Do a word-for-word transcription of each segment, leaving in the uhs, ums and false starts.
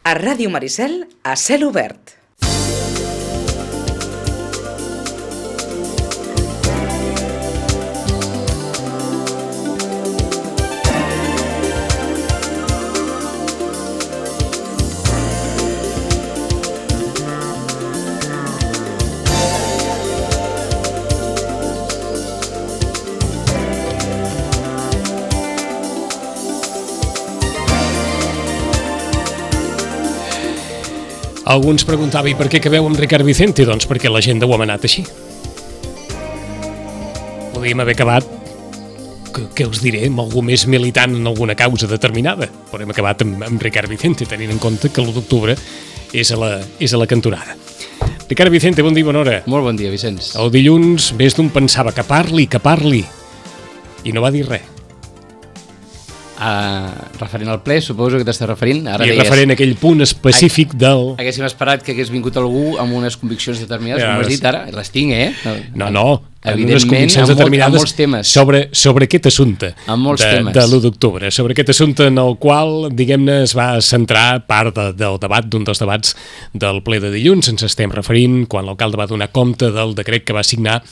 A Ràdio Maricel, a cel obert. Algú ens preguntava, i per què acabeu amb Ricard Vicente? Doncs perquè l'agenda ho ha manat així. Podríem haver acabat, que, què us diré, amb algú més militant en alguna causa determinada, però hem acabat amb, amb Ricard Vicente, tenint en compte que l'u d'octubre és a la, és a la cantonada. Ricard Vicente, bon dia, bona hora. Molt bon dia, Vicenç. El dilluns més d'un pensava que parli, que parli, i no va dir res. Uh, referent al ple, suposo que t'estàs referint. Ara I deies, referent a aquell punt específic del... Haguéssim esperat que hagués vingut algú amb unes conviccions determinades, Ja, com has dit ara, les tinc, eh? No, no, amb unes Evidentment, conviccions amb, molt, determinades amb molts temes. sobre, sobre aquest assumpte Amb molts de, temes. de l'u d'octubre, sobre aquest assumpte en el qual, diguem-ne, es va centrar part de, del debat, d'un dels debats del ple de dilluns. Ens estem referint quan l'alcalde va donar compte del decret que va signar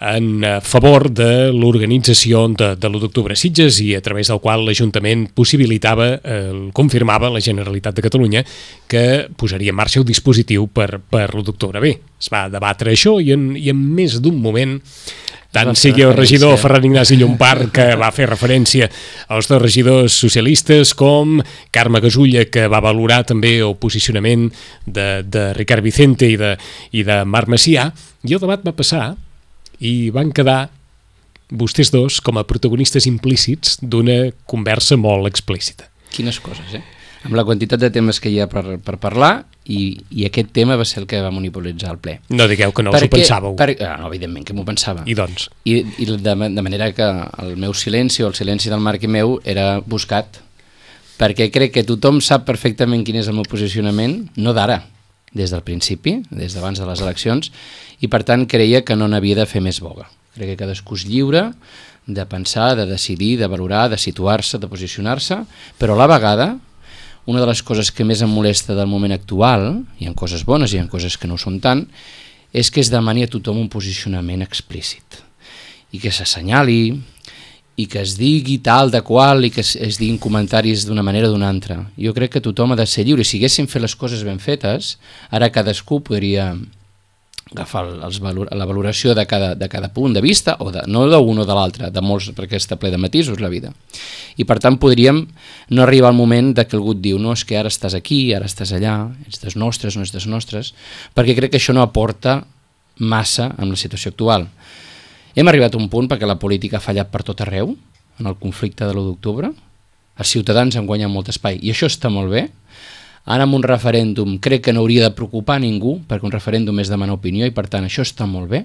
en favor de l'organització de, de l'u d'octubre a Sitges i a través del qual l'Ajuntament possibilitava, eh, confirmava la Generalitat de Catalunya que posaria en marxa el dispositiu per, per l'u d'octubre. Bé, es va debatre això i en, i en més d'un moment, tant sigui el regidor Ferran Ignasi Llompart, que va fer referència als dos regidors socialistes, com Carme Gasulla, que va valorar també el posicionament de, de Ricard Vicente i de, i de Marc Macià, i el debat va passar i van quedar vostès dos com a protagonistes implícits d'una conversa molt explícita. Quines coses, eh? Amb la quantitat de temes que hi ha per, per parlar, i, i aquest tema va ser el que va monopolitzar el ple. No digueu que no us ho pensàveu. Per, ah, no, evidentment que m'ho pensava. I doncs? I, i de, de manera que el meu silenci o el silenci del Marc i meu era buscat, perquè crec que tothom sap perfectament quin és el meu posicionament, no d'ara, des del principi, des d'abans de les eleccions, i per tant creia que no n'havia de fer més boga. Crec que cadascú és lliure de pensar, de decidir, de valorar, de situar-se, de posicionar-se, però a la vegada, una de les coses que més em molesta del moment actual, hi ha coses bones i hi ha coses que no ho són tant, és que es demani a tothom un posicionament explícit, i que s'assenyali, i que es digui tal de qual, i que es, es diguin comentaris d'una manera o d'una altra. Jo crec que tothom ha de ser lliure. Si haguéssim fet les coses ben fetes, ara cadascú podria agafar els valor, la valoració de cada, de cada punt de vista, o de, no d'un o de l'altre, de molts, perquè està ple de matisos la vida. I per tant podríem no arribar al moment de que algú et diu no, és que ara estàs aquí, ara estàs allà, ets dels nostres, no ets dels nostres, perquè crec que això no aporta massa en la situació actual. Hem arribat a un punt perquè la política ha fallat per tot arreu, en el conflicte de l'u d'octubre. Els ciutadans han guanyat molt espai, i això està molt bé. Ara amb un referèndum crec que no hauria de preocupar ningú, perquè un referèndum és demanar opinió, i per tant això està molt bé,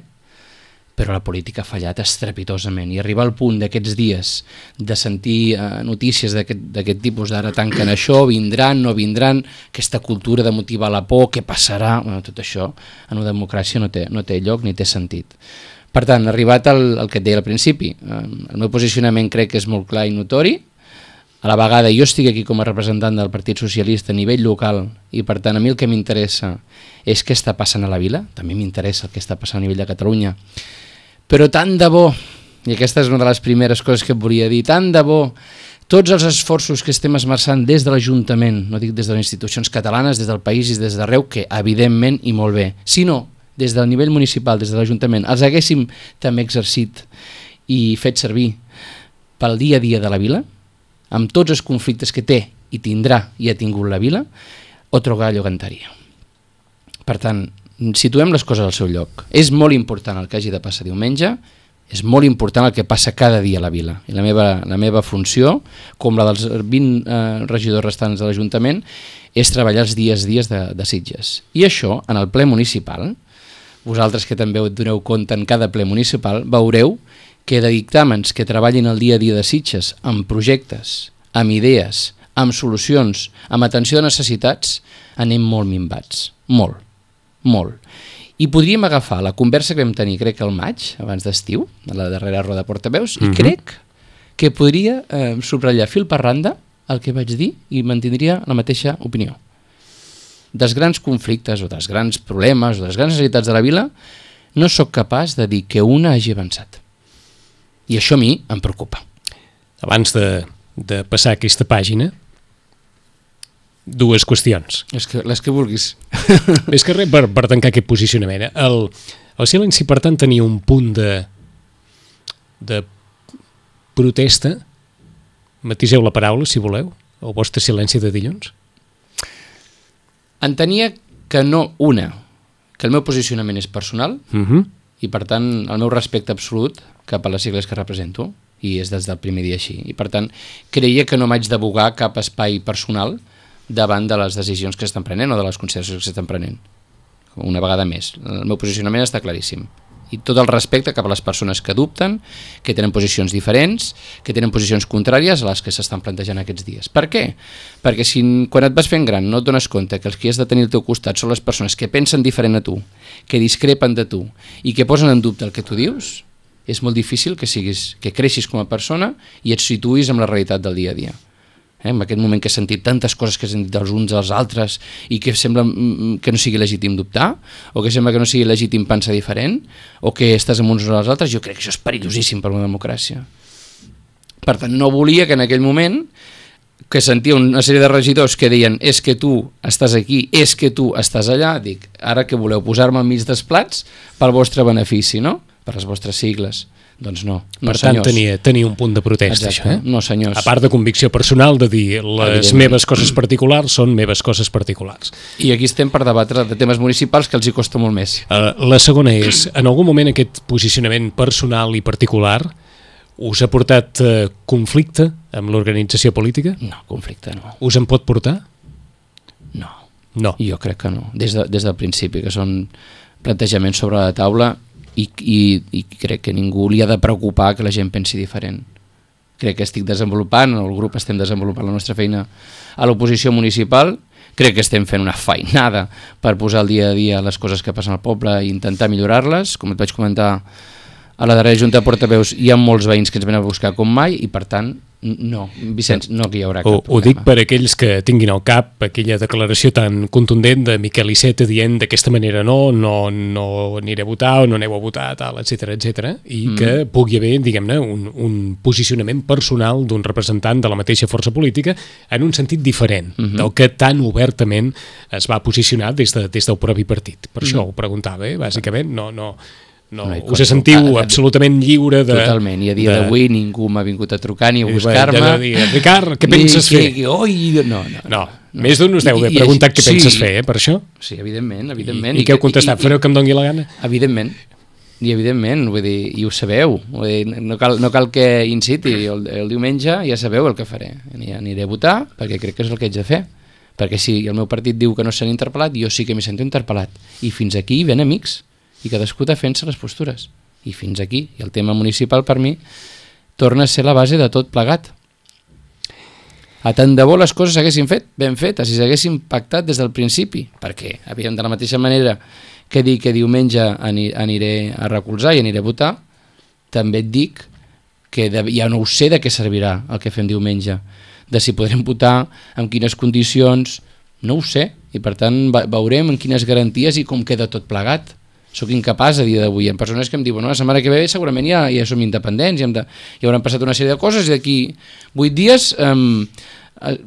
però la política ha fallat estrepitosament, i arribar al punt d'aquests dies de sentir eh, notícies d'aquest tipus, d'ara tanquen això, vindran, no vindran, aquesta cultura de motivar la por, què passarà, bueno, tot això en una democràcia no té, no té lloc ni té sentit. Per tant, arribat al, al que et deia al principi, el meu posicionament crec que és molt clar i notori. A la vegada jo estic aquí com a representant del Partit Socialista a nivell local, i per tant a mi el que m'interessa és què està passant a la vila, també m'interessa el que està passant a nivell de Catalunya, però tant de bo, i aquesta és una de les primeres coses que et volia dir, tant de bo tots els esforços que estem esmerçant des de l'Ajuntament, no dic des de les institucions catalanes, des del país i des d'arreu, que evidentment i molt bé, sinó des del nivell municipal, des de l'Ajuntament, els haguéssim també exercit i fet servir pel dia a dia de la vila, amb tots els conflictes que té i tindrà i ha tingut la vila, otro gallo cantaria. Per tant, situem les coses al seu lloc. És molt important el que hagi de passar diumenge, és molt important el que passa cada dia a la vila. I la meva, la meva funció, com la dels vint eh, regidors restants de l'Ajuntament, és treballar els dies dies de, de Sitges. I això, en el ple municipal, vosaltres que també us doneu compte en cada ple municipal, veureu que de dictàmens que treballin el dia a dia de Sitges amb projectes, amb idees, amb solucions, amb atenció de necessitats, anem molt minvats. Molt, molt. I podríem agafar la conversa que vam tenir, crec que al maig, abans d'estiu, a la darrera roda de portaveus, mm-hmm. i crec que podria eh, subratllar fil per randa el que vaig dir i mantindria la mateixa opinió. dels grans conflictes o dels grans problemes o de les grans necessitats de la vila, no sóc capaç de dir que una hagi avançat. I això a mi em preocupa. Abans de, de passar aquesta pàgina, dues qüestions. Les que, les que vulguis. Més que res, per, per tancar aquest posicionament, eh? el, el silenci, per tant, tenia un punt de, de protesta. Matiseu la paraula, si voleu, el vostre silenci de dilluns. Entenia que no una, que el meu posicionament és personal, Uh -huh. i per tant el meu respecte absolut cap a les sigles que represento, i és des del primer dia així, i per tant creia que no m'haig d'abogar cap espai personal davant de les decisions que s'estan prenent o de les consideracions que s'estan prenent. Una vegada més, el meu posicionament està claríssim, i tot el respecte cap a les persones que dubten, que tenen posicions diferents, que tenen posicions contràries a les que s'estan plantejant aquests dies. Per què? Perquè si quan et vas fent gran no et dones compte que els que has de tenir al teu costat són les persones que pensen diferent a tu, que discrepen de tu i que posen en dubte el que tu dius, és molt difícil que siguis, que creixis com a persona i et situïs amb la realitat del dia a dia. Eh, en aquest moment que he sentit tantes coses que he sentit dels uns als altres i que sembla que no sigui legítim dubtar o que sembla que no sigui legítim pensar diferent o que estàs amb uns o als altres, jo crec que això és perillosíssim per una democràcia. Per tant, no volia que en aquell moment que sentia una sèrie de regidors que deien és que tu estàs aquí, és que tu estàs allà, dic, ara que voleu posar-me al mig dels plats pel vostre benefici, no? Per les vostres sigles. Doncs no, no Per tant, senyors. tenia, tenia un punt de protesta, Exacte, això, eh? no senyors. A part de convicció personal, de dir les meves coses particulars són meves coses particulars. I aquí estem per debatre de temes municipals que els hi costa molt més. Uh, la segona és, en algun moment aquest posicionament personal i particular us ha portat uh, conflicte amb l'organització política? No, conflicte no. Us en pot portar? No, No. jo crec que no. Des, de, des del principi, que són plantejaments sobre la taula i, i, i crec que ningú li ha de preocupar que la gent pensi diferent. Crec que estic desenvolupant, el grup estem desenvolupant la nostra feina a l'oposició municipal, crec que estem fent una feinada per posar al dia a dia les coses que passen al poble i intentar millorar-les. Com et vaig comentar a la darrera Junta de Portaveus, hi ha molts veïns que ens venen a buscar com mai i per tant, no, Vicenç, no hi haurà cap Ho, problema. ho dic per aquells que tinguin al cap aquella declaració tan contundent de Miquel Iceta dient d'aquesta manera no, no, no aniré a votar o no aneu a votar, tal, etcètera, etcètera, i mm. que pugui haver, diguem-ne, un, un posicionament personal d'un representant de la mateixa força política en un sentit diferent mm -hmm. del que tan obertament es va posicionar des, de, des del propi partit. Per mm. això ho preguntava, eh? Bàsicament, no... no No, no us sentiu a, absolutament lliure de... Totalment, i a dia d'avui ningú m'ha vingut a trucar ni a buscar-me. Ja de dir, Ricard, què penses fer? Que, oi, no, no, no, no. Més d'un us deu haver preguntat què sí, penses fer, eh, per això? Sí, evidentment, evidentment. I, i què heu contestat? I, Fareu que em doni la gana? Evidentment, i evidentment, vull dir, i ho sabeu, vull dir, no, cal, no cal que inciti, el, el diumenge ja sabeu el que faré, aniré a votar perquè crec que és el que haig de fer, perquè si el meu partit diu que no s'han interpel·lat, jo sí que m'hi sento interpel·lat, i fins aquí ven amics, i cadascú defensa les postures, i fins aquí, i el tema municipal per mi torna a ser la base de tot plegat. A tant de bo les coses s'haguessin fet ben fetes, si s'haguessin pactat des del principi, perquè havíem de la mateixa manera que dir que diumenge aniré a recolzar i aniré a votar, també et dic que ja no ho sé de què servirà el que fem diumenge, de si podrem votar, en quines condicions, no ho sé, i per tant veurem en quines garanties i com queda tot plegat. Soc incapaç a dia d'avui. Hi ha persones que em diuen no, la setmana que ve segurament ja, ja som independents, ja, hem de, ja hauran passat una sèrie de coses i d'aquí vuit dies um,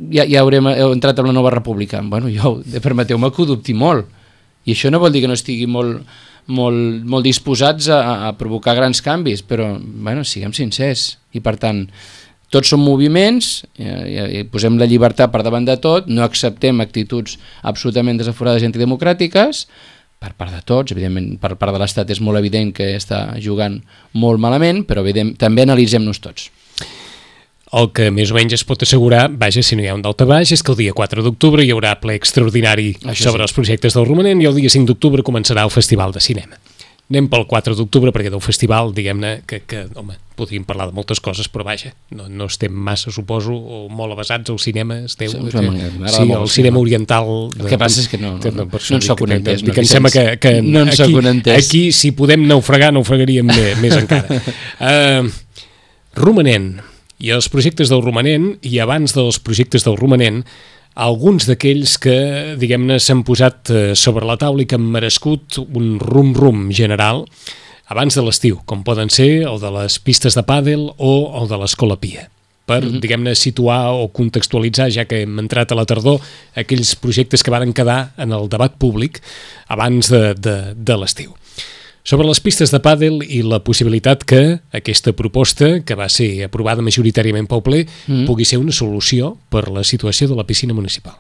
ja, ja haurem entrat en la nova república. Bueno, jo, permeteu-me que ho dubti molt. I això no vol dir que no estigui molt, molt, molt disposats a, a provocar grans canvis, però bueno, siguem sincers. I per tant, tots són moviments, i, i posem la llibertat per davant de tot, no acceptem actituds absolutament desaforades i antidemocràtiques, per part de tots, evidentment per part de l'Estat és molt evident que està jugant molt malament, però evident, també analitzem-nos tots. El que més o menys es pot assegurar, vaja, si no hi ha un daltabaix, és que el dia quatre d'octubre hi haurà ple extraordinari Això sobre sí. els projectes del romanent i el dia cinc d'octubre començarà el Festival de Cinema. Anem pel quatre d'octubre perquè del festival, diguem-ne, que, que home, podríem parlar de moltes coses, però vaja, no, no estem massa, suposo, o molt avasats al cinema, esteu... Sí, que, sí el cinema oriental... El que passa és que no, no, no, no en soc un entès. Que, que, que em sembla que, que no en soc un entès. Aquí, si podem naufragar, naufragaríem més, més encara. Uh, romanent, i els projectes del romanent, i abans dels projectes del romanent, alguns d'aquells que, diguem-ne, s'han posat sobre la taula i que han merescut un rum-rum general abans de l'estiu, com poden ser el de les pistes de pàdel o el de l'Escola Pia, per, mm-hmm. diguem-ne, situar o contextualitzar, ja que hem entrat a la tardor, aquells projectes que varen quedar en el debat públic abans de, de, de l'estiu. Sobre les pistes de pàdel i la possibilitat que aquesta proposta, que va ser aprovada majoritàriament pel ple, mm. pugui ser una solució per la situació de la piscina municipal.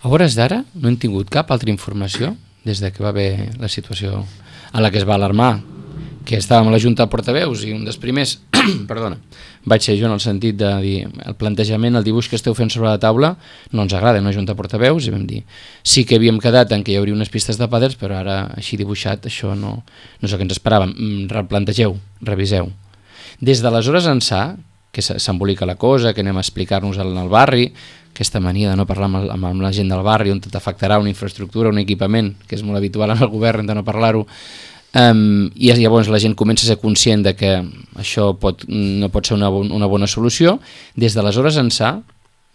A hores d'ara no hem tingut cap altra informació des de que va haver la situació a la que es va alarmar, que estàvem a la Junta de Portaveus i un dels primers, perdona, vaig ser jo en el sentit de dir el plantejament, el dibuix que esteu fent sobre la taula no ens agrada en la Junta de Portaveus, i vam dir sí que havíem quedat en que hi hauria unes pistes de pàdels, però ara així dibuixat això no, no és el que ens esperàvem. Replantegeu, reviseu. Des d'aleshores ençà, que s'embolica la cosa, que anem a explicar-nos en el barri, aquesta mania de no parlar amb, amb, amb la gent del barri on t'afectarà una infraestructura, un equipament, que és molt habitual en el govern de no parlar-ho. Um, i llavors la gent comença a ser conscient de que això pot, no pot ser una, una bona solució. Des d'aleshores ençà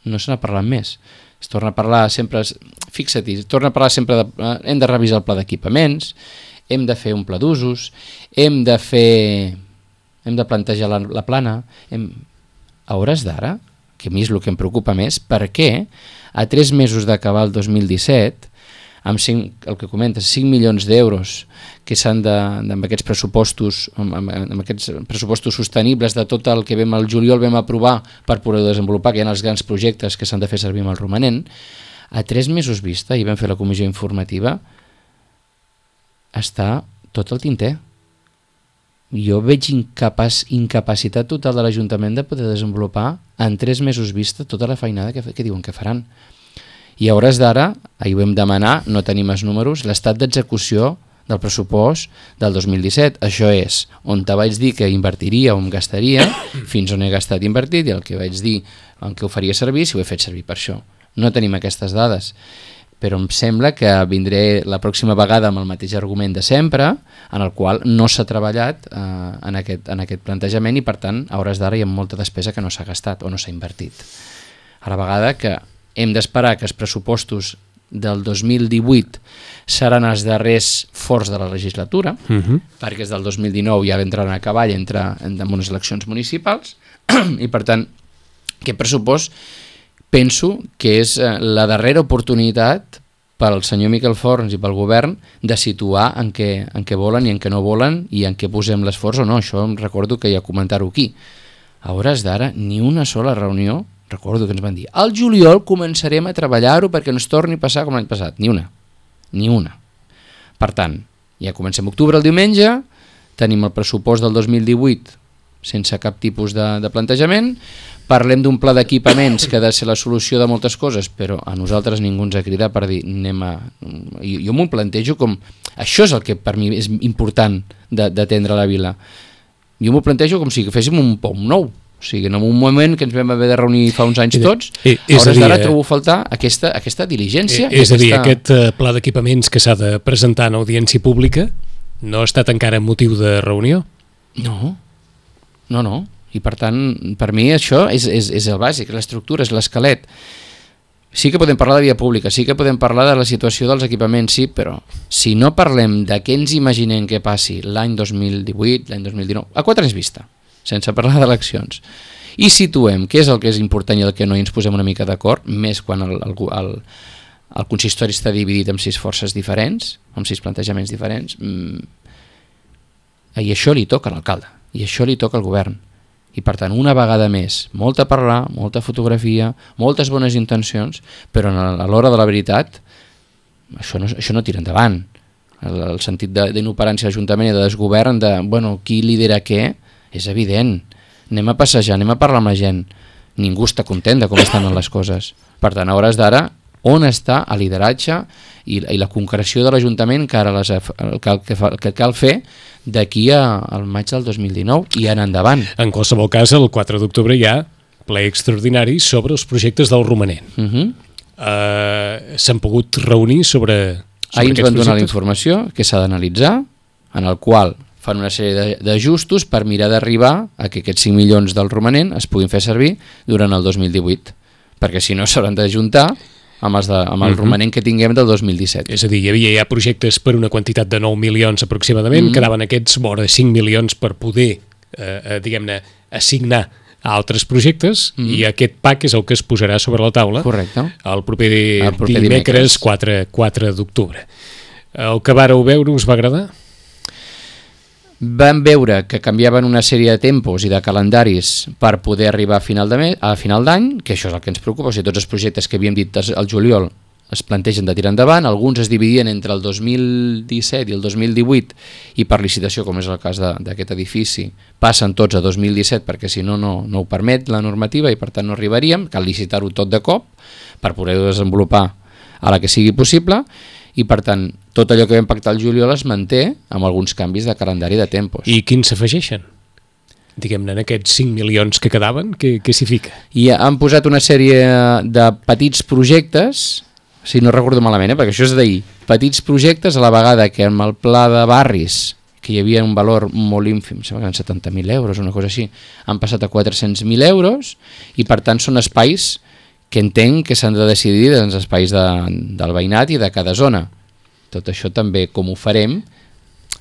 no se n'ha parlat més, es torna a parlar sempre, fixa't, es torna a parlar sempre de, uh, hem de revisar el pla d'equipaments, hem de fer un pla d'usos, hem de fer hem de plantejar la, la plana, hem, a hores d'ara, que a mi és el que em preocupa més, per què a tres mesos d'acabar el dos mil disset, amb cinc, el que comentes, cinc milions d'euros que s'han de, amb aquests pressupostos amb, amb, amb aquests pressupostos sostenibles de tot el que vam al juliol vam aprovar per poder desenvolupar, que hi ha els grans projectes que s'han de fer servir amb el romanent, a tres mesos vista, i vam fer la comissió informativa, està tot el tinter. Jo veig incapaç, incapacitat total de l'Ajuntament de poder desenvolupar en tres mesos vista tota la feinada que, que diuen que faran. I a hores d'ara, ahir ho vam demanar, no tenim els números, l'estat d'execució del pressupost del dos mil disset. Això és on te vaig dir que invertiria o em gastaria, fins on he gastat i invertit, i el que vaig dir en què ho faria servir, si ho he fet servir per això. No tenim aquestes dades, però em sembla que vindré la pròxima vegada amb el mateix argument de sempre, en el qual no s'ha treballat eh, en, aquest, en aquest plantejament, i per tant, a hores d'ara hi ha molta despesa que no s'ha gastat o no s'ha invertit. A la vegada que hem d'esperar que els pressupostos del dos mil divuit seran els darrers forts de la legislatura, uh-huh. perquè és del dos mil dinou ja entraran a cavall entre, en unes eleccions municipals, i per tant, aquest pressupost penso que és la darrera oportunitat pel senyor Miquel Forns i pel govern de situar en què, en què volen i en què no volen i en què posem l'esforç o no. Això em recordo que ja comentar-ho aquí. A hores d'ara, ni una sola reunió. Recordo que ens van dir, al juliol començarem a treballar-ho perquè no es torni a passar com l'any passat. Ni una, ni una. Per tant, ja comencem octubre el diumenge, tenim el pressupost del dos mil divuit sense cap tipus de, de plantejament, parlem d'un pla d'equipaments que ha de ser la solució de moltes coses, però a nosaltres ningú ens ha cridat per dir, anem a... Jo, jo m'ho plantejo com... Això és el que per mi és important d'atendre la vila. Jo m'ho plantejo com si féssim un pom nou. O sigui, en un moment que ens vam haver de reunir fa uns anys tots, a hores d'ara trobo faltar aquesta, aquesta diligència. És a dir, aquest pla d'equipaments que s'ha de presentar en audiència pública no ha estat encara motiu de reunió? No, no, no. I per tant, per mi això és, és, és el bàsic, l'estructura, és l'esquelet. Sí que podem parlar de via pública, sí que podem parlar de la situació dels equipaments, sí, però si no parlem de què ens imaginem que passi l'any dos mil divuit, l'any dos mil dinou, a quatre anys vista, sense parlar d'eleccions, i situem què és el que és important i el que no, i ens posem una mica d'acord, més quan el, el, el, el consistori està dividit en sis forces diferents, amb sis plantejaments diferents, mmm, i això li toca a l'alcalde, i això li toca al govern. I per tant, una vegada més, molta parlar, molta fotografia, moltes bones intencions, però a l'hora de la veritat, això no, això no tira endavant. El, el sentit d'inoperància de l'Ajuntament i de desgovern, de, bueno, qui lidera què, és evident. Anem a passejar, anem a parlar amb la gent. Ningú està content de com estan les coses. Per tant, a hores d'ara, on està el lideratge i, i la concreció de l'Ajuntament que ara les, el, que, el que cal fer d'aquí al maig del dos mil dinou i en endavant. En qualsevol cas, el quatre d'octubre hi ha ple extraordinari sobre els projectes del romanent. Uh-huh. uh, S'han pogut reunir sobre, sobre Ahir ens van donar projectes? La informació que s'ha d'analitzar, en el qual fan una sèrie d'ajustos per mirar d'arribar a que aquests cinc milions del romanent es puguin fer servir durant el dos mil divuit, perquè si no s'hauran d'ajuntar amb, els de, amb el uh-huh. romanent que tinguem del dos mil disset. És a dir, hi havia ja projectes per una quantitat de nou milions aproximadament, uh-huh. quedaven aquests vora de cinc milions per poder, eh, diguem-ne, assignar a altres projectes, uh-huh. i aquest pack és el que es posarà sobre la taula. Correcte. El proper, el proper dimecres quatre d'octubre. El que vàreu veure us va agradar? Vam veure que canviaven una sèrie de tempos i de calendaris per poder arribar a final de mes, a final d'any, que això és el que ens preocupa. O sigui, tots els projectes que havíem dit al juliol es plantegen de tirar endavant, alguns es dividien entre el dos mil disset i el dos mil divuit, i per licitació, com és el cas d'aquest edifici, passen tots a dos mil disset perquè si no, no, no ho permet la normativa i per tant no arribaríem, cal licitar-ho tot de cop per poder-ho desenvolupar a la que sigui possible, i per tant tot allò que vam pactar al juliol es manté amb alguns canvis de calendari de tempos. I quins s'afegeixen? Diguem-ne, en aquests cinc milions que quedaven, què, què s'hi fica? I han posat una sèrie de petits projectes, si no recordo malament, eh, perquè això és d'ahir, petits projectes a la vegada que amb el pla de barris, que hi havia un valor molt ínfim, sembla que eren setanta mil euros o una cosa així, han passat a quatre-cents mil euros, i per tant són espais que entenc que s'han de decidir dels espais de, del veïnat i de cada zona. Tot això també, com ho farem,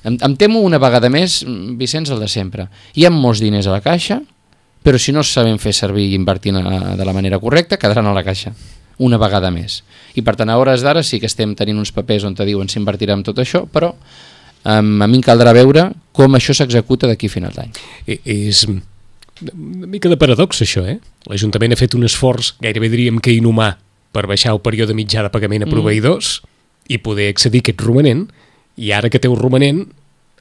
em, em temo una vegada més, Vicenç, el de sempre. Hi ha molts diners a la caixa, però si no els sabem fer servir i invertir de la manera correcta, quedaran a la caixa, una vegada més. I per tant, a hores d'ara sí que estem tenint uns papers on te diuen s'invertirà en tot això, però um, a mi em caldrà veure com això s'executa d'aquí a final d'any. És una mica de paradox, això, eh? L'Ajuntament ha fet un esforç, gairebé diríem que inhumà, per baixar el període mitjà de pagament a proveïdors mm. i poder accedir a aquest romanent, i ara que té un romanent,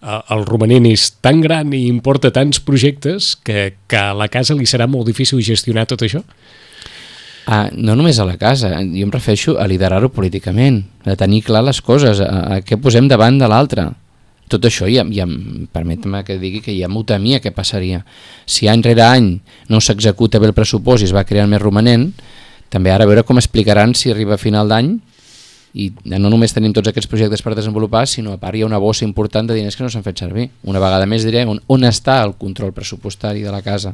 el romanent és tan gran i importa tants projectes que, que a la casa li serà molt difícil gestionar tot això? Ah, no només a la casa, jo em refereixo a liderar-ho políticament, a tenir clar les coses, a, a què posem davant de l'altre. Tot això, ja, ja, permet-me que digui que ja m'ho temia què passaria. Si any rere any no s'executa bé el pressupost i es va creant més romanent, també ara a veure com explicaran si arriba a final d'any i no només tenim tots aquests projectes per desenvolupar, sinó a part hi ha una bossa important de diners que no s'han fet servir. Una vegada més diré on, on està el control pressupostari de la casa.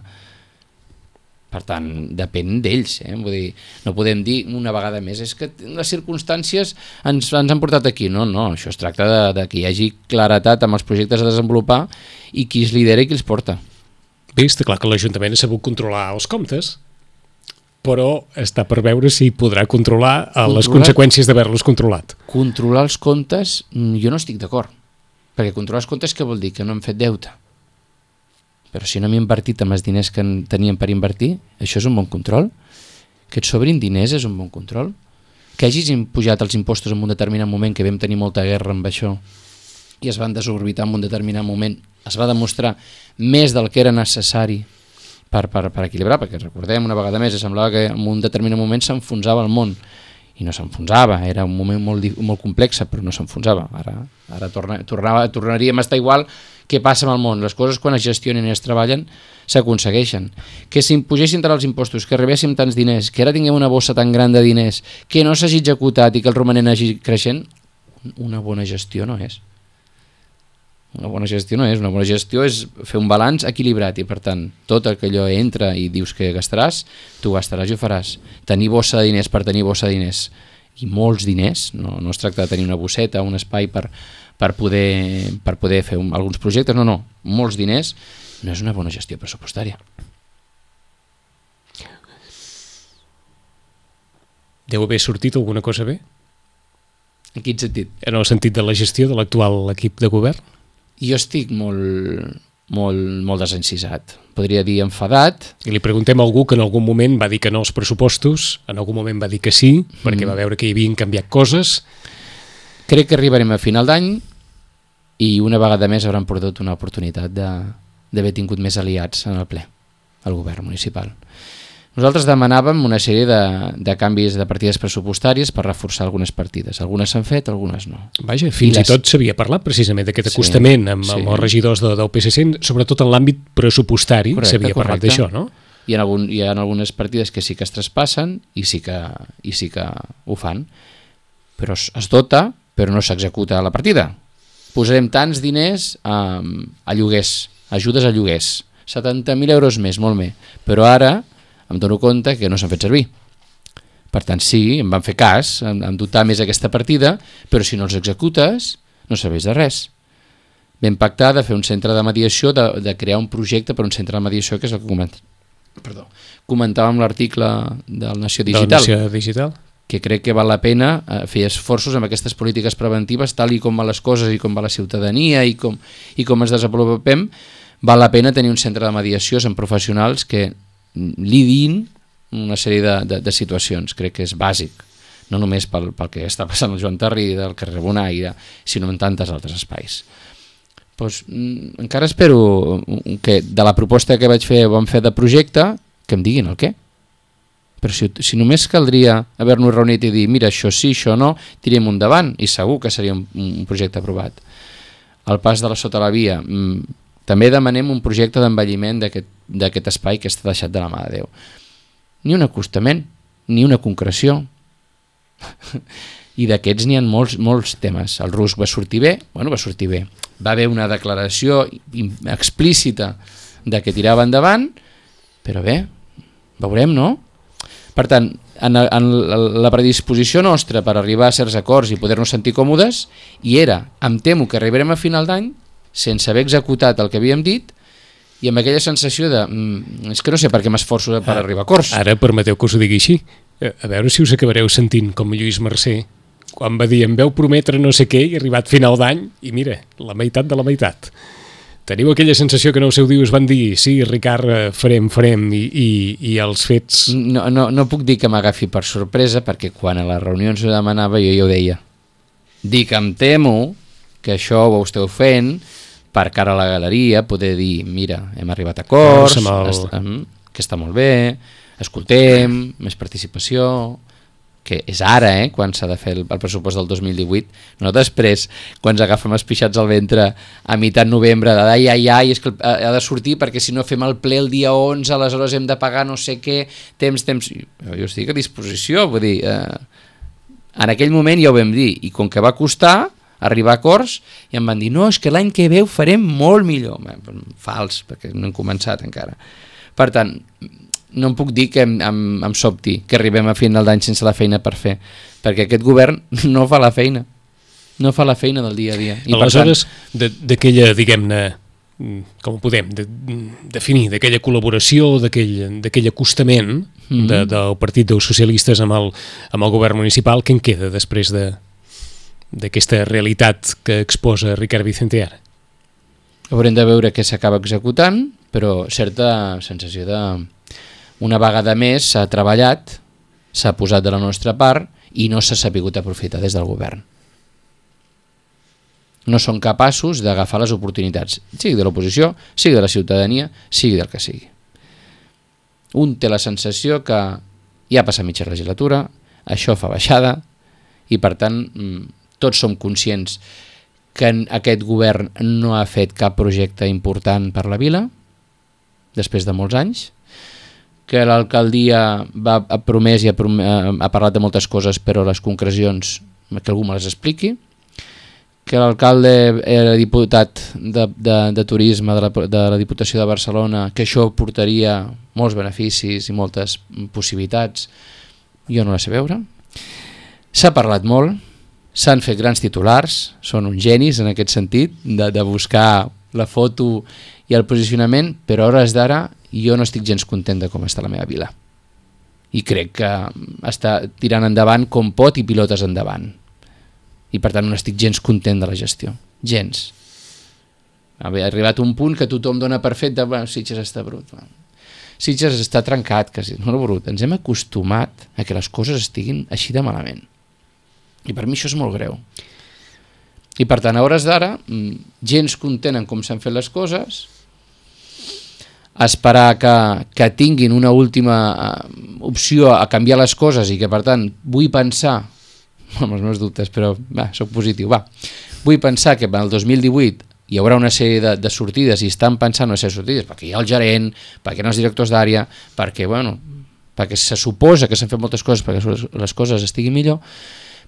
Per tant, depèn d'ells, eh? Vull dir, no podem dir una vegada més, és que les circumstàncies ens, ens han portat aquí. No, no, això es tracta de, de que hi hagi claretat amb els projectes a desenvolupar i qui els lidera i qui els porta. Bé, està clar que l'Ajuntament ha sabut controlar els comptes, però està per veure si podrà controlar, controlar les conseqüències d'haver-los controlat. Controlar els comptes, jo no estic d'acord, perquè controlar els comptes què vol dir? Que no hem fet deute. Però si no hem invertit amb els diners que teníem per invertir, això és un bon control. Que et sobrin diners és un bon control. Que hagis pujat els impostos en un determinat moment, que vam tenir molta guerra amb això, i es van desorbitar en un determinat moment, es va demostrar més del que era necessari per, per, per equilibrar, perquè recordem una vegada més, semblava que en un determinat moment s'enfonsava el món, i no s'enfonsava, era un moment molt, molt complex, però no s'enfonsava. Ara, ara torna, tornava, tornaríem a estar igual. Què passa amb el món? Les coses quan es gestionen i es treballen s'aconsegueixen. Que s'impugessin tant els impostos, que rebéssim tants diners, que ara tinguem una bossa tan gran de diners, que no s'hagi executat i que el romanent hagi creixent, una bona gestió no és. Una bona gestió no és. Una bona gestió és fer un balanç equilibrat i, per tant, tot el que allò entra i dius que gastaràs, tu gastaràs i ho faràs. Tenir bossa de diners per tenir bossa de diners i molts diners, no, no es tracta de tenir una bosseta, un espai per, per, poder, per poder fer un, alguns projectes, no, no, molts diners, no és una bona gestió pressupostària. Deu haver sortit alguna cosa bé? En quin sentit? En el sentit de la gestió de l'actual equip de govern? Jo estic molt, molt, molt desencisat. Podria dir enfadat. I li preguntem a algú que en algun moment va dir que no als pressupostos, en algun moment va dir que sí, perquè Mm. va veure que hi havien canviat coses. Crec que arribarem a final d'any i una vegada més hauran perdut una oportunitat de- d'haver tingut més aliats en el ple, al govern municipal. Nosaltres demanàvem una sèrie de, de canvis de partides pressupostàries per reforçar algunes partides. Algunes s'han fet, algunes no. Vaja, fins i, les- i tot s'havia parlat precisament d'aquest Sí, acostament amb, sí. amb els regidors de, del P S C, sobretot en l'àmbit pressupostari. Correcte, S'havia parlat correcte. d'això, no? Hi ha, algun, hi ha algunes partides que sí que es traspassen i sí que, i sí que ho fan, però es, es dota, però no s'executa la partida. Posarem tants diners a, a lloguers, ajudes a lloguers, setanta mil euros més, molt més, però ara em dono compte que no s'han fet servir. Per tant, sí, em van fer cas, em, em dotar més aquesta partida, però si no els executes, no serveix de res. Vam pactar de fer un centre de mediació, de, de crear un projecte per un centre de mediació, que és el que coment... Perdó. comentàvem l'article del Nació Digital. De Nació Digital. Que crec que val la pena fer esforços amb aquestes polítiques preventives, tal i com van les coses i com va la ciutadania i com, i com ens desenvolupem, val la pena tenir un centre de mediació amb professionals que lidin una sèrie de, de, de situacions. Crec que és bàsic, no només pel, pel que està passant al Joan Tarrí del carrer Bonaire, sinó en tantes altres espais. Pues, encara espero que de la proposta que vaig fer, vam fer de projecte, que em diguin el què. Però si, si només caldria haver-nos reunit i dir mira, això sí, això no, tirem un davant i segur que seria un, un projecte aprovat. Al pas de la sota la via, mmm, també demanem un projecte d'envelliment d'aquest espai que està deixat de la mà de Déu. Ni un acostament, ni una concreció. I d'aquests n'hi ha molts, molts temes. El rusc va sortir bé? Bueno, va sortir bé. Va haver una declaració explícita de que tirava endavant, però bé, veurem, no? Per tant, en, en la predisposició nostra per arribar a certs acords i poder-nos sentir còmodes, hi era, em temo que arribarem a final d'any sense haver executat el que havíem dit i amb aquella sensació de mm, és que no sé per què m'esforço per arribar a acords. Ara permeteu que us ho digui així. A veure si us acabareu sentint com Lluís Mercè, quan va dir em veu prometre no sé què i ha arribat final d'any i mira, la meitat de la meitat. Teniu aquella sensació que no ho seu dir, us van dir sí, Ricard, farem, farem i, i, i els fets... No, no, no puc dir que m'agafi per sorpresa perquè quan a les reunions ho demanava jo ja ho deia. Dic, em temo que això ho esteu fent per cara a la galeria, poder dir mira, hem arribat a acords, el... est que està molt bé, escoltem, més participació... que és ara, eh, quan s'ha de fer el, el pressupost del dos mil divuit, no després, quan ens agafem els pixats al ventre a meitat novembre, de ai, ai, ai, és que ha de sortir perquè si no fem el ple el dia onze, aleshores hem de pagar no sé què, temps, temps... Jo estic a disposició, vull dir, eh, en aquell moment ja ho vam dir, i com que va costar arribar a acords, i em van dir, no, és que l'any que ve ho farem molt millor. Fals, perquè no hem començat encara. Per tant, no em puc dir que em, em, em sobti que arribem a final d'any sense la feina per fer, perquè aquest govern no fa la feina, no fa la feina del dia a dia. I aleshores, tant... d'aquella, diguem-ne, com ho podem de, definir, d'aquella col·laboració, d'aquell acostament mm-hmm. de, del Partit dels Socialistes amb el, amb el govern municipal, què en queda després de d'aquesta realitat que exposa Ricard Vicente ara? Haurem de veure què s'acaba executant, però certa sensació de... Una vegada més s'ha treballat, s'ha posat de la nostra part i no s'ha sapigut aprofitar des del govern. No són capaços d'agafar les oportunitats, sigui de l'oposició, sigui de la ciutadania, sigui del que sigui. Un té la sensació que ja ha passat mitja legislatura, això fa baixada i per tant tots som conscients que aquest govern no ha fet cap projecte important per la vila després de molts anys, que l'alcaldia va, ha promès i ha, prom ha parlat de moltes coses, però les concrecions que algú me les expliqui, que l'alcalde era diputat de, de, de turisme de la, de la Diputació de Barcelona, que això portaria molts beneficis i moltes possibilitats, jo no la sé veure. S'ha parlat molt, s'han fet grans titulars, són uns genis en aquest sentit, de, de buscar la foto i el posicionament, però a hores d'ara jo no estic gens content de com està la meva vila. I crec que està tirant endavant com pot i pilotes endavant. I per tant no estic gens content de la gestió. Gens. Ha arribat un punt que tothom dona per fet de bueno, Sitges està brut. Sitges està trencat, quasi, no brut. Ens hem acostumat a que les coses estiguin així de malament. I per mi això és molt greu. I per tant, a hores d'ara, gens content en com s'han fet les coses, esperar que, que tinguin una última opció a canviar les coses i que per tant vull pensar, amb els meus dubtes, però va, soc positiu, va, vull pensar que el dos mil divuit hi haurà una sèrie de, de sortides i estan pensant en les sortides perquè hi ha el gerent, perquè hi ha els directors d'àrea, perquè, bueno, perquè se suposa que s'han fet moltes coses perquè les coses estiguin millor,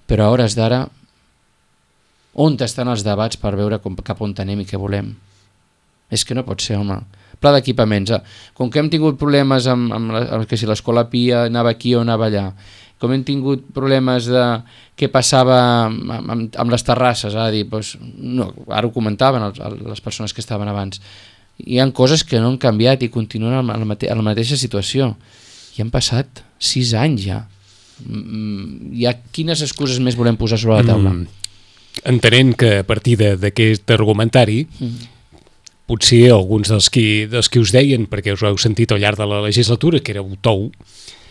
però a hores d'ara on estan els debats per veure com, cap on anem i què volem? És que no pot ser, home. Pla d'equipaments. Com que hem tingut problemes amb, amb, la, amb que si l'escola Pia anava aquí o anava allà, com hem tingut problemes de què passava amb, amb, amb les terrasses, a dir, doncs, no, ara ho comentaven els, les persones que estaven abans, hi ha coses que no han canviat i continuen en la, mate en la mateixa situació. I han passat sis anys ja. Mm, hi ha, quines excuses més volem posar sobre la taula? Mm, entenent que a partir d'aquest argumentari, mm. potser alguns dels qui, dels qui us deien, perquè us ho heu sentit al llarg de la legislatura, que éreu tou,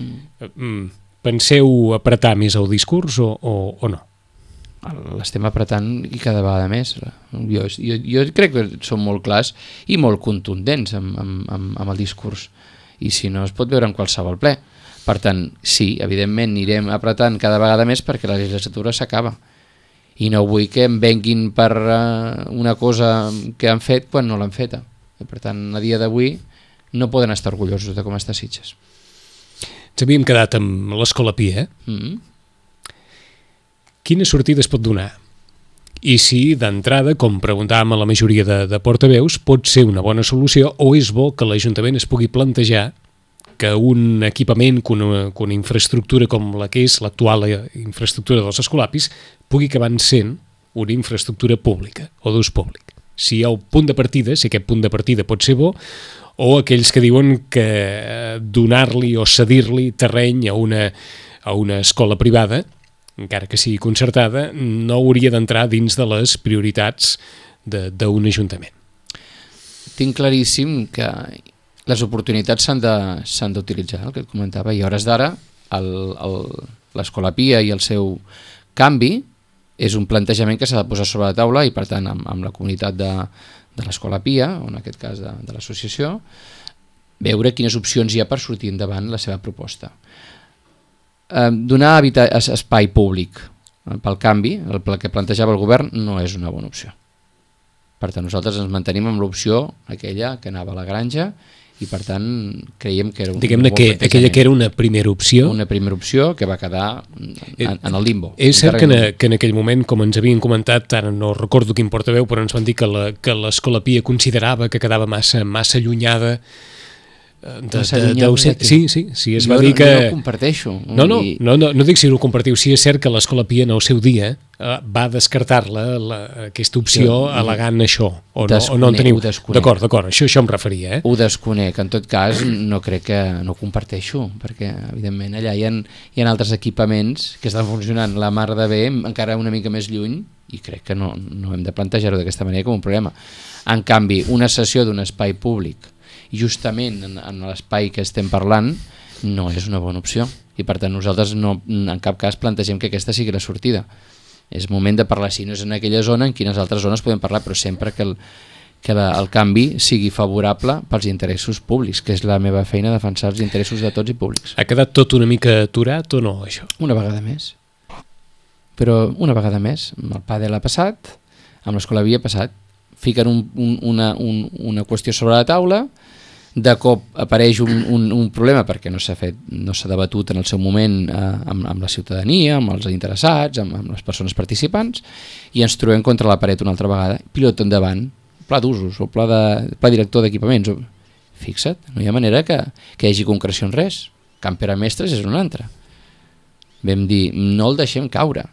mm. penseu apretar més el discurs o, o, o no? L'estem apretant i cada vegada més. Jo, jo, jo crec que són molt clars i molt contundents amb, amb, amb, amb el discurs. I si no, es pot veure en qualsevol ple. Per tant, sí, evidentment anirem apretant cada vegada més perquè la legislatura s'acaba. I no vull que em venguin per uh, una cosa que han fet quan no l'han feta. I per tant, a dia d'avui no poden estar orgullosos de com està Sitges. Ens havíem quedat amb l'Escola Pia, eh? Mm-hmm. Quina sortida es pot donar? I si, d'entrada, com preguntàvem a la majoria de, de portaveus, pot ser una bona solució o és bo que l'Ajuntament es pugui plantejar que un equipament, que una, que una infraestructura com la que és l'actual infraestructura dels escolapis pugui acabar sent una infraestructura pública o d'ús públic. Si hi ha un punt de partida, si aquest punt de partida pot ser bo, o aquells que diuen que donar-li o cedir-li terreny a una, a una escola privada, encara que sigui concertada, no hauria d'entrar dins de les prioritats d'un ajuntament. Tinc claríssim que les oportunitats s'han d'utilitzar, el que et comentava, i a hores d'ara l'Escola Pia i el seu canvi és un plantejament que s'ha de posar sobre la taula i, per tant, amb, amb la comunitat de, de l'Escola Pia, o en aquest cas de, de l'associació, veure quines opcions hi ha per sortir endavant la seva proposta. Eh, donar espai públic pel canvi, el que plantejava el govern, no és una bona opció. Per tant, nosaltres ens mantenim amb l'opció aquella que anava a la granja i, per tant, creiem que era un Diguem-ne que aquella que era una primera opció. Una primera opció que va quedar en, en el limbo. És cert que en, que en aquell moment, com ens havien comentat, ara no recordo quin portaveu, però ens van dir que l'Escola Pia considerava que quedava massa, massa allunyada de, de, de, de, sí, sí, sí, es va dir que... No ho comparteixo. No, no, no, no, no dic si no ho compartiu, sí és cert que l'Escola Pia en el seu dia eh, va descartar-la aquesta opció jo, al·legant això, o no, o no en teniu... D'acord, d'acord, això, això em referia. Eh? Ho desconec, en tot cas no crec que no ho comparteixo, perquè evidentment allà hi ha, hi ha altres equipaments que estan funcionant la mar de bé, encara una mica més lluny, i crec que no, no hem de plantejar-ho d'aquesta manera com un problema. En canvi, una sessió d'un espai públic justament en, en l'espai que estem parlant no és una bona opció i, per tant, nosaltres no, en cap cas plantegem que aquesta sigui la sortida. És moment de parlar, si no és en aquella zona, en quines altres zones podem parlar, però sempre que el, que la, el canvi sigui favorable pels interessos públics, que és la meva feina, defensar els interessos de tots i públics. Ha quedat tot una mica aturat o no, això? Una vegada més. Però una vegada més, amb el Padel ha passat, amb l'Escola Pia ha passat, fiquen un, un, una, un, una qüestió sobre la taula, de cop apareix un, un, un problema perquè no s'ha fet, no s'ha debatut en el seu moment eh, amb, amb la ciutadania, amb els interessats, amb, amb les persones participants, i ens trobem contra la paret una altra vegada, pilot endavant, pla d'usos o pla, de, pla director d'equipaments. Fixa't, no hi ha manera que, que hi hagi concreció en res. Camp Pere Mestres és un altre. Vam dir, no el deixem caure.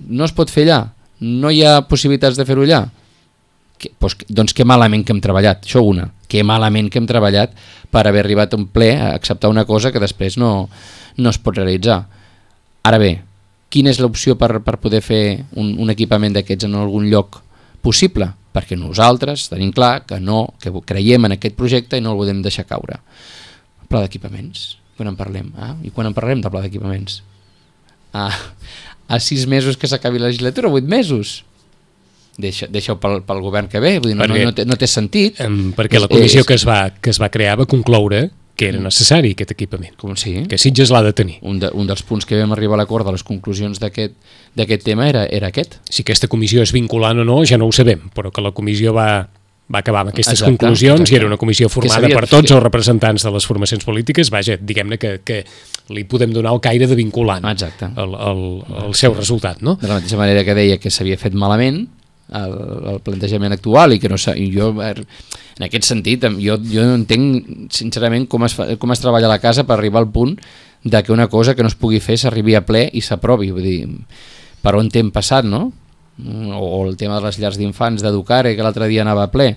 No es pot fer allà, no hi ha possibilitats de fer-ho allà. Que, doncs, doncs que malament que hem treballat, això una, que malament que hem treballat per haver arribat a un ple a acceptar una cosa que després no, no es pot realitzar. Ara bé, quina és l'opció per, per poder fer un, un equipament d'aquests en algun lloc possible? Perquè nosaltres tenim clar que no, que creiem en aquest projecte i no el podem deixar caure. El pla d'equipaments, quan en parlem? Ah? I quan en parlem del pla d'equipaments? Ah, a sis mesos que s'acabi la legislatura, vuit mesos? Deixa, deixa-ho pel, pel govern que ve, vull dir, no, perquè, no, no, té, no té sentit. Um, perquè la comissió és, que, es va, que es va crear va concloure que era necessari aquest equipament, com sí? Que Sitges l'ha de tenir. Un, de, un dels punts que vam arribar a l'acord de les conclusions d'aquest tema era, era aquest. Si aquesta comissió és vinculant o no, ja no ho sabem, però que la comissió va, va acabar amb aquestes exacte, conclusions exacte. I era una comissió formada per tots que... els representants de les formacions polítiques, vaja, diguem-ne que, que li podem donar el caire de vinculant exacte. El, el, el seu resultat, no? De la mateixa manera que deia que s'havia fet malament el, el plantejament actual i que no i jo En aquest sentit, jo, jo no entenc sincerament com es, fa, com es treballa a la casa per arribar al punt de que una cosa que no es pugui fer s'arribi a ple i s'aprovi. Vull dir, per on hem passat, no? O el tema de les llars d'infants d'Educare, que l'altre dia anava a ple.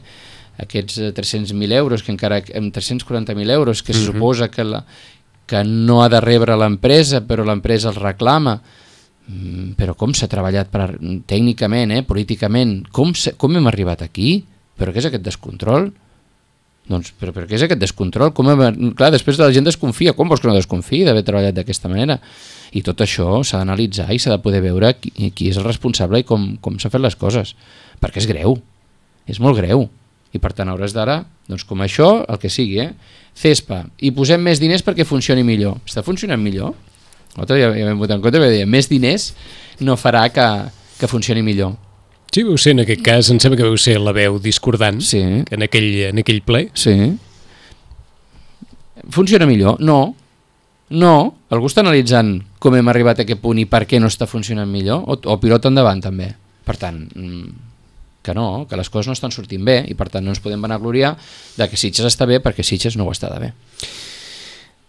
Aquests tres-cents mil euros, que encara amb tres-cents quaranta mil euros, que se Mm-hmm. suposa que, la, que no ha de rebre l'empresa, però l'empresa els reclama. Però com s'ha treballat per, tècnicament, eh, políticament, com, com hem arribat aquí? Però què és aquest descontrol? Doncs, però, però què és aquest descontrol? Com hem, clar, després la gent desconfia. Com vols que no desconfiï d'haver treballat d'aquesta manera? I tot això s'ha d'analitzar i s'ha de poder veure qui, qui és el responsable i com, com s'ha fet les coses. Perquè és greu. És molt greu. I per tant, a hores d'ara, doncs com això, el que sigui, eh? Cespa. I posem més diners perquè funcioni millor. Està funcionant millor? Nosaltres ja, ja vam votar en compte perquè deia, més diners no farà que, que funcioni millor. Sí, veu ser, en aquest cas, em sembla que veu ser la veu discordant Sí. en, aquell, en aquell ple. Sí. Funciona millor? No. No. Algú està analitzant com hem arribat a aquest punt i per què no està funcionant millor? O, o pilota endavant, també. Per tant, que no, que les coses no estan sortint bé i per tant no ens podem vanagloriar de que Sitges està bé perquè Sitges no ho està de bé.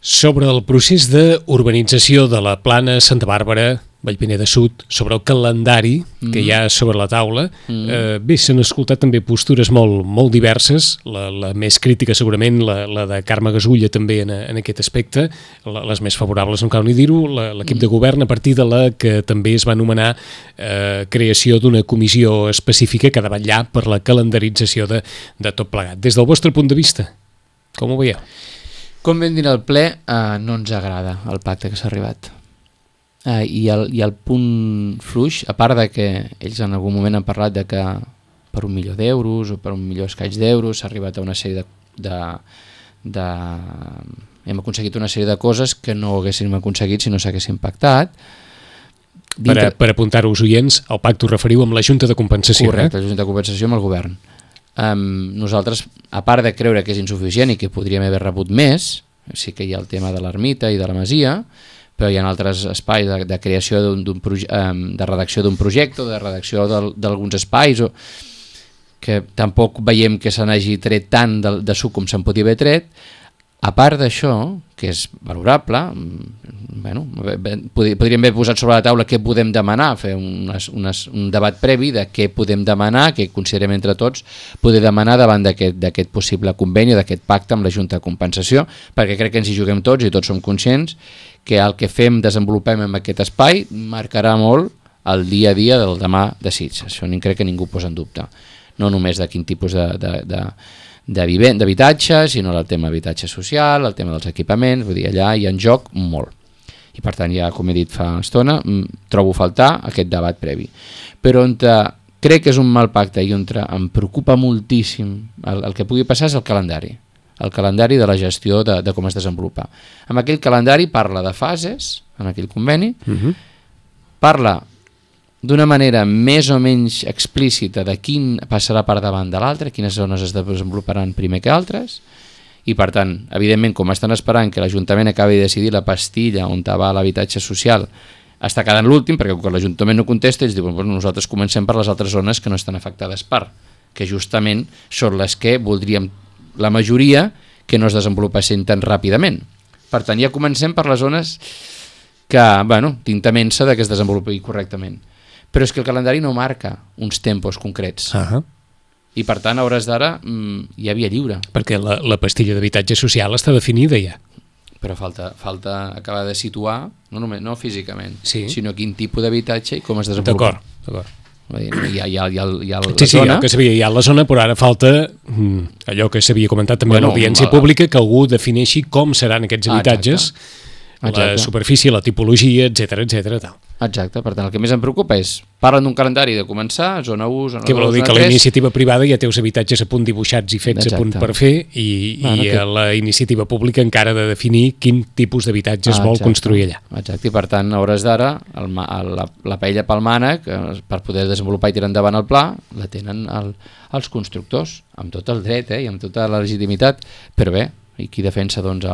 Sobre el procés d'urbanització de la plana Santa Bàrbara, Vallpineda Sud, sobre el calendari mm. que hi ha sobre la taula, mm. eh, bé, s'han escoltat també postures molt, molt diverses, la, la més crítica segurament, la, la de Carme Gasulla també en, en aquest aspecte, la, les més favorables, no cal ni dir-ho, l'equip mm. de govern a partir de la que també es va anomenar eh, creació d'una comissió específica que ha de vetllar per la calendarització de, de tot plegat. Des del vostre punt de vista, com ho veieu? Com vam dir al ple, eh, no ens agrada el pacte que s'ha arribat. Eh, i, el, I el punt fluix, a part de que ells en algun moment han parlat de que per un milió d'euros o per un milió escaig d'euros s'ha arribat a una sèrie de, de, de... hem aconseguit una sèrie de coses que no haguéssim aconseguit si no s'haguessin pactat. Dintre... Per, per apuntar-ho als oients, el pacte ho referiu amb la Junta de Compensació. Correcte, eh? la Junta de Compensació amb el govern. Um, nosaltres, a part de creure que és insuficient i que podríem haver rebut més, sí que hi ha el tema de l'ermita i de la masia, però hi ha altres espais de, de creació d'un, d'un um, de redacció d'un projecte, de redacció d'alguns espais, o, que tampoc veiem que se n'hagi tret tant de, de suc com se'n podia haver tret. A part d'això, que és valorable, bueno, podríem haver posat sobre la taula què podem demanar, fer unes, unes, un debat previ de què podem demanar, què considerem entre tots poder demanar davant d'aquest possible conveni o d'aquest pacte amb la Junta de Compensació, perquè crec que ens hi juguem tots i tots som conscients que el que fem, desenvolupem en aquest espai marcarà molt el dia a dia del demà de Sitges. Això crec que ningú posa en dubte. No només de quin tipus de... de, de d'habitatge, sinó el tema d'habitatge social, el tema dels equipaments, vull dir, allà hi ha en joc molt. I per tant, ja com he dit fa estona, trobo faltar aquest debat previ. Però on crec que és un mal pacte i on em preocupa moltíssim el, el que pugui passar és el calendari. El calendari de la gestió de, de com es desenvolupa. Amb aquell calendari parla de fases, en aquell conveni, uh-huh. parla d'una manera més o menys explícita de quin passarà per davant de l'altre, quines zones es desenvoluparan primer que altres, i per tant, evidentment, com estan esperant que l'Ajuntament acabi de decidir la pastilla on va l'habitatge social, està quedant l'últim, perquè quan l'Ajuntament no contesta, ells diuen, bueno, nosaltres comencem per les altres zones que no estan afectades per, que justament són les que voldríem la majoria que no es desenvolupessin tan ràpidament. Per tant, ja comencem per les zones que, bueno, tinta-mensa de que es desenvolupi correctament. Però és que el calendari no marca uns tempos concrets. Uh-huh. I per tant, a hores d'ara, mmm, hi havia lliure. Perquè la, la pastilla d'habitatge social està definida ja. Però falta, falta acabar de situar, no només no físicament, sí. sinó quin tipus d'habitatge i com es desenvolupa. D'acord, d'acord. Hi ha, hi ha, hi ha, hi ha, hi ha la sí, sí, zona. Sí, que sabia, hi ha la zona, però ara falta mm, allò que s'havia comentat també bueno, a l'audiència la... pública, que algú defineixi com seran aquests habitatges, ah, la superfície, la tipologia, etcètera, etcètera, tal. Exacte, per tant, el que més em preocupa és, parlen d'un calendari de començar, zona u, zona dos, que vol dir que la iniciativa privada ja té els habitatges a punt dibuixats i fets Exacte. A punt per fer, i, bueno, i que... la iniciativa pública encara ha de definir quin tipus d'habitatges ah, vol construir allà. Exacte, i per tant, a hores d'ara, la, la paella pel mànec, per poder desenvolupar i tirar endavant el pla, la tenen el, els constructors, amb tot el dret eh, i amb tota la legitimitat, però bé, i qui defensa doncs,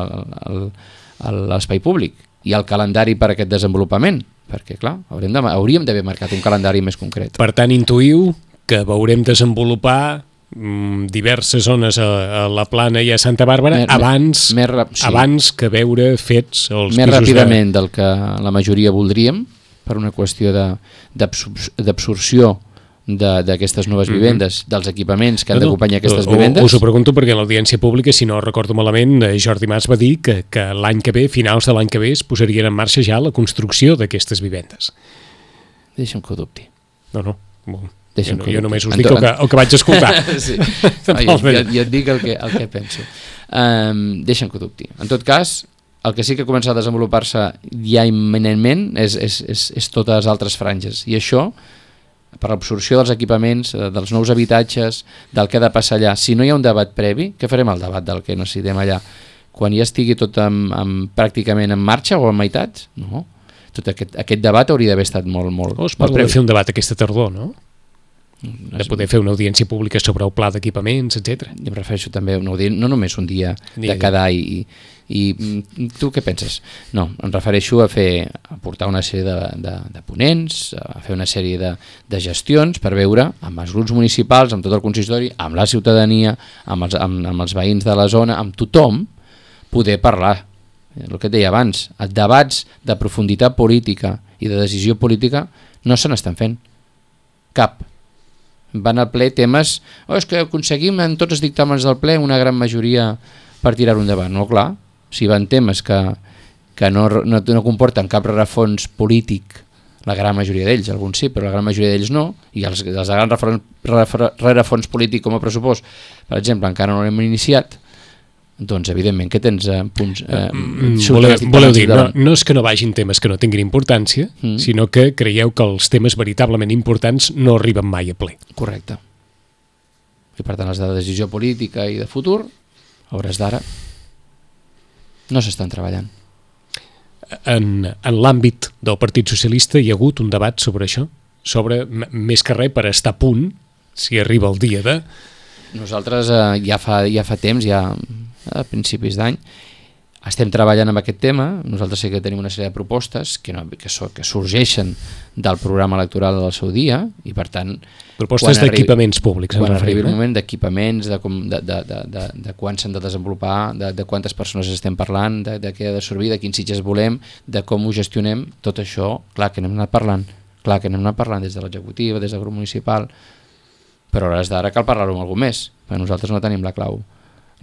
l'espai públic i el calendari per a aquest desenvolupament? Perquè, clar, haurem de, hauríem d'haver marcat un calendari més concret. Per tant, intuïu que veurem desenvolupar mm, diverses zones a, a la Plana i a Santa Bàrbara Mer, abans, més rap- sí. abans que veure fets els més pisos ràpidament de... del que la majoria voldríem, per una qüestió de- d'absor- d'absorció d'aquestes noves vivendes, mm-hmm. dels equipaments que han No, no, d'acompanyar aquestes o- vivendes. Us ho pregunto perquè en l'audiència pública, si no recordo malament, eh, Jordi Mas va dir que, que l'any que ve, finals de l'any que ve, es posarien en marxa ja la construcció d'aquestes vivendes. Deixa'm que ho dubti. No, no, bon. Deixa'm jo, que ho jo dubti. només us En dic to- el que, el que vaig escoltar. Sí. No, jo, jo, jo et dic el que, el que penso. Um, deixa'm que ho dubti. En tot cas, el que sí que comença a desenvolupar-se ja imminentment és, és, és, és totes les altres franges. I això, per l'absorció dels equipaments, eh, dels nous habitatges, del que ha de passar allà. Si no hi ha un debat previ, què farem el debat del que necessitem allà? Quan ja estigui tot en, en, pràcticament en marxa o en meitats? No. Tot aquest, aquest debat hauria d'haver estat molt, molt, O es molt parla de previ. fer un debat aquesta tardor, no? De poder fer una audiència pública sobre el pla d'equipaments, etcètera. Jo em refereixo també a una audiència, no només un dia Dia de cada any. I, i mm, tu què penses? No, em refereixo a fer a portar una sèrie de, de, de ponents, a fer una sèrie de, de gestions per veure amb els grups municipals, amb tot el consistori, amb la ciutadania, amb els, amb, amb els veïns de la zona, amb tothom, poder parlar. El que et deia abans, els debats de profunditat política i de decisió política no se n'estan fent. Cap. Van al ple temes, oh, és que aconseguim en tots els dictàmens del ple una gran majoria per tirar-ho endavant. No, clar, si van temes que, que no, no, no comporten cap rerefons polític, la gran majoria d'ells, alguns sí, però la gran majoria d'ells no, i els, els de grans rerefons, rerefons polític com a pressupost, per exemple, encara no l'hem iniciat, doncs evidentment que tens eh, punts eh, Mm, voleu, voleu dir, no, no és que no vagin temes que no tinguin importància, mm. sinó que creieu que els temes veritablement importants no arriben mai a ple. Correcte. I per tant els de decisió política i de futur, a hores d'ara, no s'estan treballant. En, en l'àmbit del Partit Socialista hi ha hagut un debat sobre això? Sobre, m- més que res, per estar a punt, si arriba el dia de... Nosaltres eh, ja, fa, ja fa temps, ja a principis d'any, estem treballant amb aquest tema. Nosaltres sí que tenim una sèrie de propostes que, no, que, so, que sorgeixen del programa electoral del seu dia i per tant... Propostes d'equipaments públics. Quan referim, arribi el eh? moment d'equipaments, de, com- de, de, de, de, de quan s'han de desenvolupar, de, de quantes persones estem parlant, de, de què ha de servir, de quins sitges volem, de com ho gestionem, tot això, clar que n'hem anat parlant, clar que n'hem anat parlant des de l'executiva, des del grup municipal, però a hores d'ara cal parlar-ho amb algú més, perquè nosaltres no tenim la clau,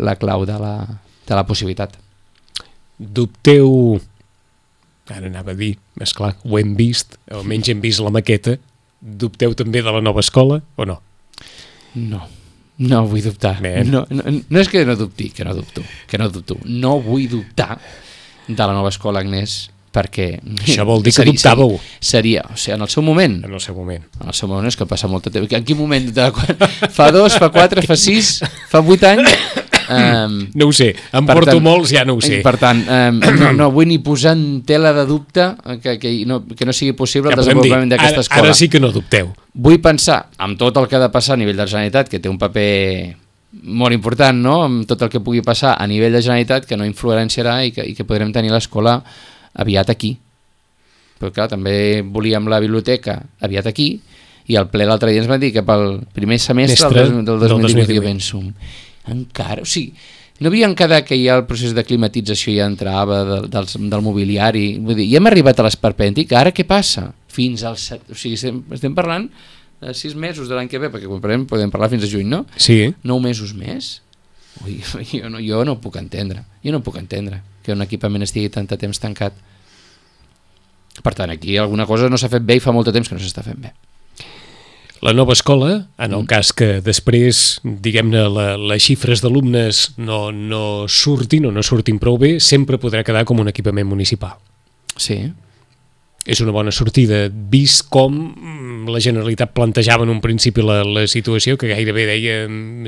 la clau de la, de la possibilitat. Dubteu, ara anava a dir, esclar, ho hem vist, o almenys hem vist la maqueta, dubteu també de la nova escola o no? No, no vull dubtar. No, no, no és que no dubti, que no dubto, que no dubto. No vull dubtar de la nova escola, Agnès, perquè... Això vol dir que seria, dubtàveu. Seria, o sigui, en el seu moment. En el seu moment. En el seu moment és que passa molt de temps. En quin moment? De, fa dos, fa quatre, fa sis, fa vuit anys? Um, no ho sé, em porto tant, molts, ja no ho sé. Per tant, um, no, no vull ni posar en tela de dubte que, que, no, que no sigui possible ja el desenvolupament d'aquesta escola. Ara sí que no dubteu. Vull pensar amb tot el que ha de passar a nivell de la Generalitat, que té un paper molt important, no? Amb tot el que pugui passar a nivell de Generalitat, que no influenciarà i que, i que podrem tenir l'escola aviat aquí. Però clar, també volíem la biblioteca aviat aquí i el ple l'altre dia ens van dir que pel primer semestre del, del dos mil divuit jo penso, encara, o sigui, no havien quedat que ja el procés de climatització ja entrava de, del, del mobiliari, vull dir, ja hem arribat a l'esperpèntic, ara què passa? Fins al set, o sigui, estem, estem parlant de sis mesos de l'any que ve, perquè podem, podem parlar fins a juny, no? Sí. Nou mesos més? Ui, jo, no, jo no puc entendre, jo no puc entendre que un equipament estigui tant de temps tancat. Per tant, aquí alguna cosa no s'ha fet bé i fa molt de temps que no s'està fent bé. La nova escola, en el cas que després, diguem-ne, la, les xifres d'alumnes no, no surtin o no surtin prou bé, sempre podrà quedar com un equipament municipal. Sí. És una bona sortida, vist com la Generalitat plantejava en un principi la, la situació, que gairebé deia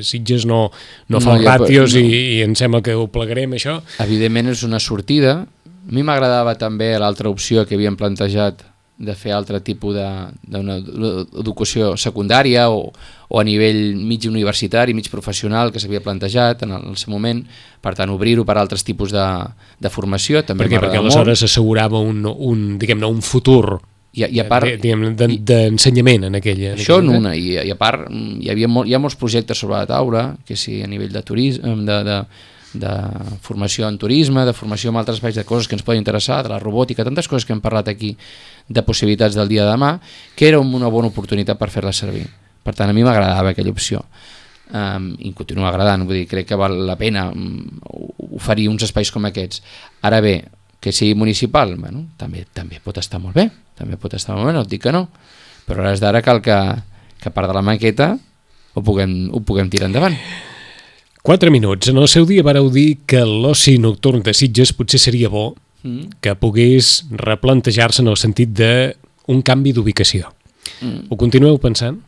Sitges no, no fa no, ràtios no. i, i em sembla que ho plegarem, això. Evidentment és una sortida. A mi m'agradava també l'altra opció que havien plantejat de fer altre tipus d'una educació secundària o, o a nivell mig universitari, mig professional, que s'havia plantejat en el, en el seu moment, per tant obrir-ho per altres tipus de, de formació també perquè, perquè aleshores assegurava un, un, diguem-ne, un futur I, i a part... D'ensenyament en aquella... Això en una, i, i a part hi, havia molt, hi ha molts projectes sobre la taula, que sí, a nivell de turisme, de, de, de formació en turisme, de formació en altres espais, de coses que ens poden interessar, de la robòtica, tantes coses que hem parlat aquí, de possibilitats del dia de demà, que era una bona oportunitat per fer-la servir. Per tant, a mi m'agradava aquella opció. Um, i continua agradant, vull dir, crec que val la pena oferir uns espais com aquests. Ara bé, que sigui municipal, bueno, també, també pot estar molt bé, també pot estar molt bé, no et dic que no, però a hores d'ara cal que, que a part de la maqueta ho puguem, ho puguem tirar endavant. Quatre minuts. En el seu dia vareu dir que l'oci nocturn de Sitges potser seria bo mm. que pogués replantejar-se en el sentit d'un canvi d'ubicació. Mm. Ho continueu pensant?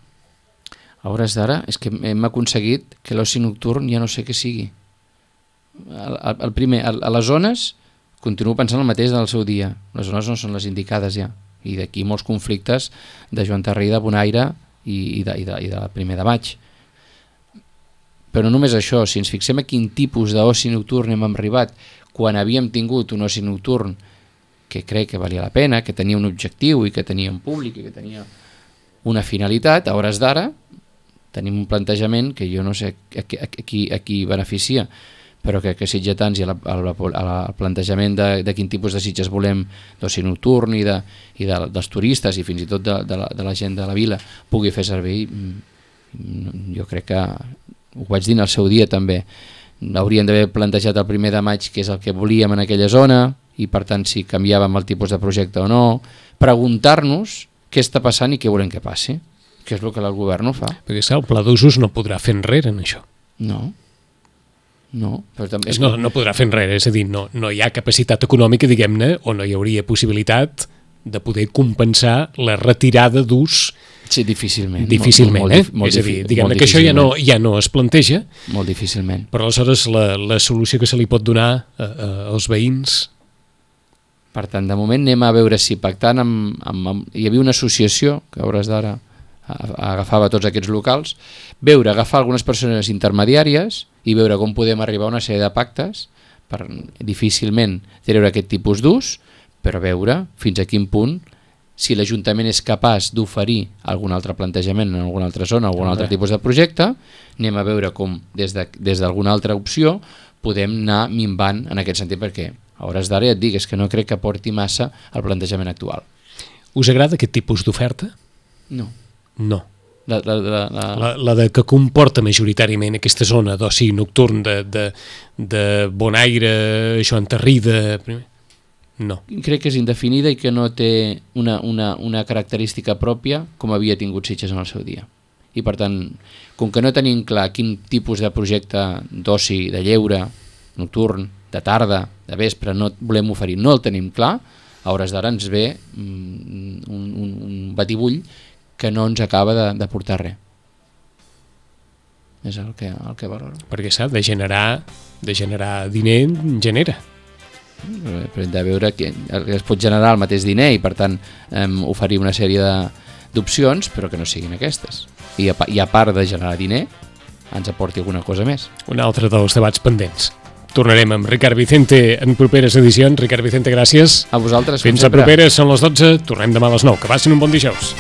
A hores d'ara és que hem aconseguit que l'oci nocturn ja no sé què sigui. El, el, el primer, el, a les zones continuo pensant el mateix del seu dia. Les zones no són les indicades ja. I d'aquí molts conflictes de Joan Tarrí, de Bonaire i, i, de, i, de, i de primer de maig. Però només això, si ens fixem a quin tipus d'oci nocturn hem arribat quan havíem tingut un oci nocturn que crec que valia la pena, que tenia un objectiu i que tenia un públic i que tenia una finalitat, a hores d'ara tenim un plantejament que jo no sé a, a, a, qui, a qui beneficia, però que, que sitgetans i el plantejament de, de quin tipus de Sitges volem d'oci nocturn i, de, i de, dels turistes i fins i tot de, de, la, de la gent de la vila pugui fer servir, jo crec que ho vaig dir al seu dia també, hauríem d'haver plantejat el primer de maig què és el que volíem en aquella zona i per tant si canviàvem el tipus de projecte o no, preguntar-nos què està passant i què volem que passi, que és el que el govern no fa. Perquè el pla d'usos no podrà fer enrere en això. No. No, però també és no, no podrà fer enrere, és a dir, no, no hi ha capacitat econòmica, diguem-ne, o no hi hauria possibilitat de poder compensar la retirada d'ús. Sí, difícilment. Difícilment, molt, eh? Molt, és a dir, diguem-ne que això ja no, ja no es planteja. Molt difícilment. Però aleshores la, la solució que se li pot donar a, a, als veïns... Per tant, de moment anem a veure si pactant amb... amb, amb hi havia una associació que a hores d'ara agafava tots aquests locals, veure, agafar algunes persones intermediàries i veure com podem arribar a una sèrie de pactes per difícilment treure aquest tipus d'ús, però veure fins a quin punt, si l'Ajuntament és capaç d'oferir algun altre plantejament en alguna altra zona, algun altre tipus de projecte, anem a veure com des de, des d'alguna altra opció podem anar minvant en aquest sentit, perquè a hores d'ara ja et dic, és que no crec que porti massa el plantejament actual. Us agrada aquest tipus d'oferta? No. No. La, la, la, la... La, la de que comporta majoritàriament aquesta zona d'oci nocturn de, de, de Bonaire, Joan Tarrí, de... No. Crec que és indefinida i que no té una, una, una característica pròpia com havia tingut Sitges en el seu dia. I per tant, com que no tenim clar quin tipus de projecte d'oci, de lleure, nocturn, de tarda, de vespre, no volem oferir, no el tenim clar, a hores d'ara ens ve un, un, un batibull que no ens acaba de, de portar res. És el que, el que valoro. Perquè s'ha de generar, de generar diner, genera. Però hem de veure que es pot generar el mateix diner i per tant eh, oferir una sèrie d'opcions, però que no siguin aquestes. I a, I a part de generar diner, ens aporti alguna cosa més. Un altre dels debats pendents. Tornarem amb Ricard Vicente en properes edicions. Ricard Vicente, gràcies. A vosaltres. Fins a properes, són les dotze, tornem demà a les nou. Que passin un bon dijous.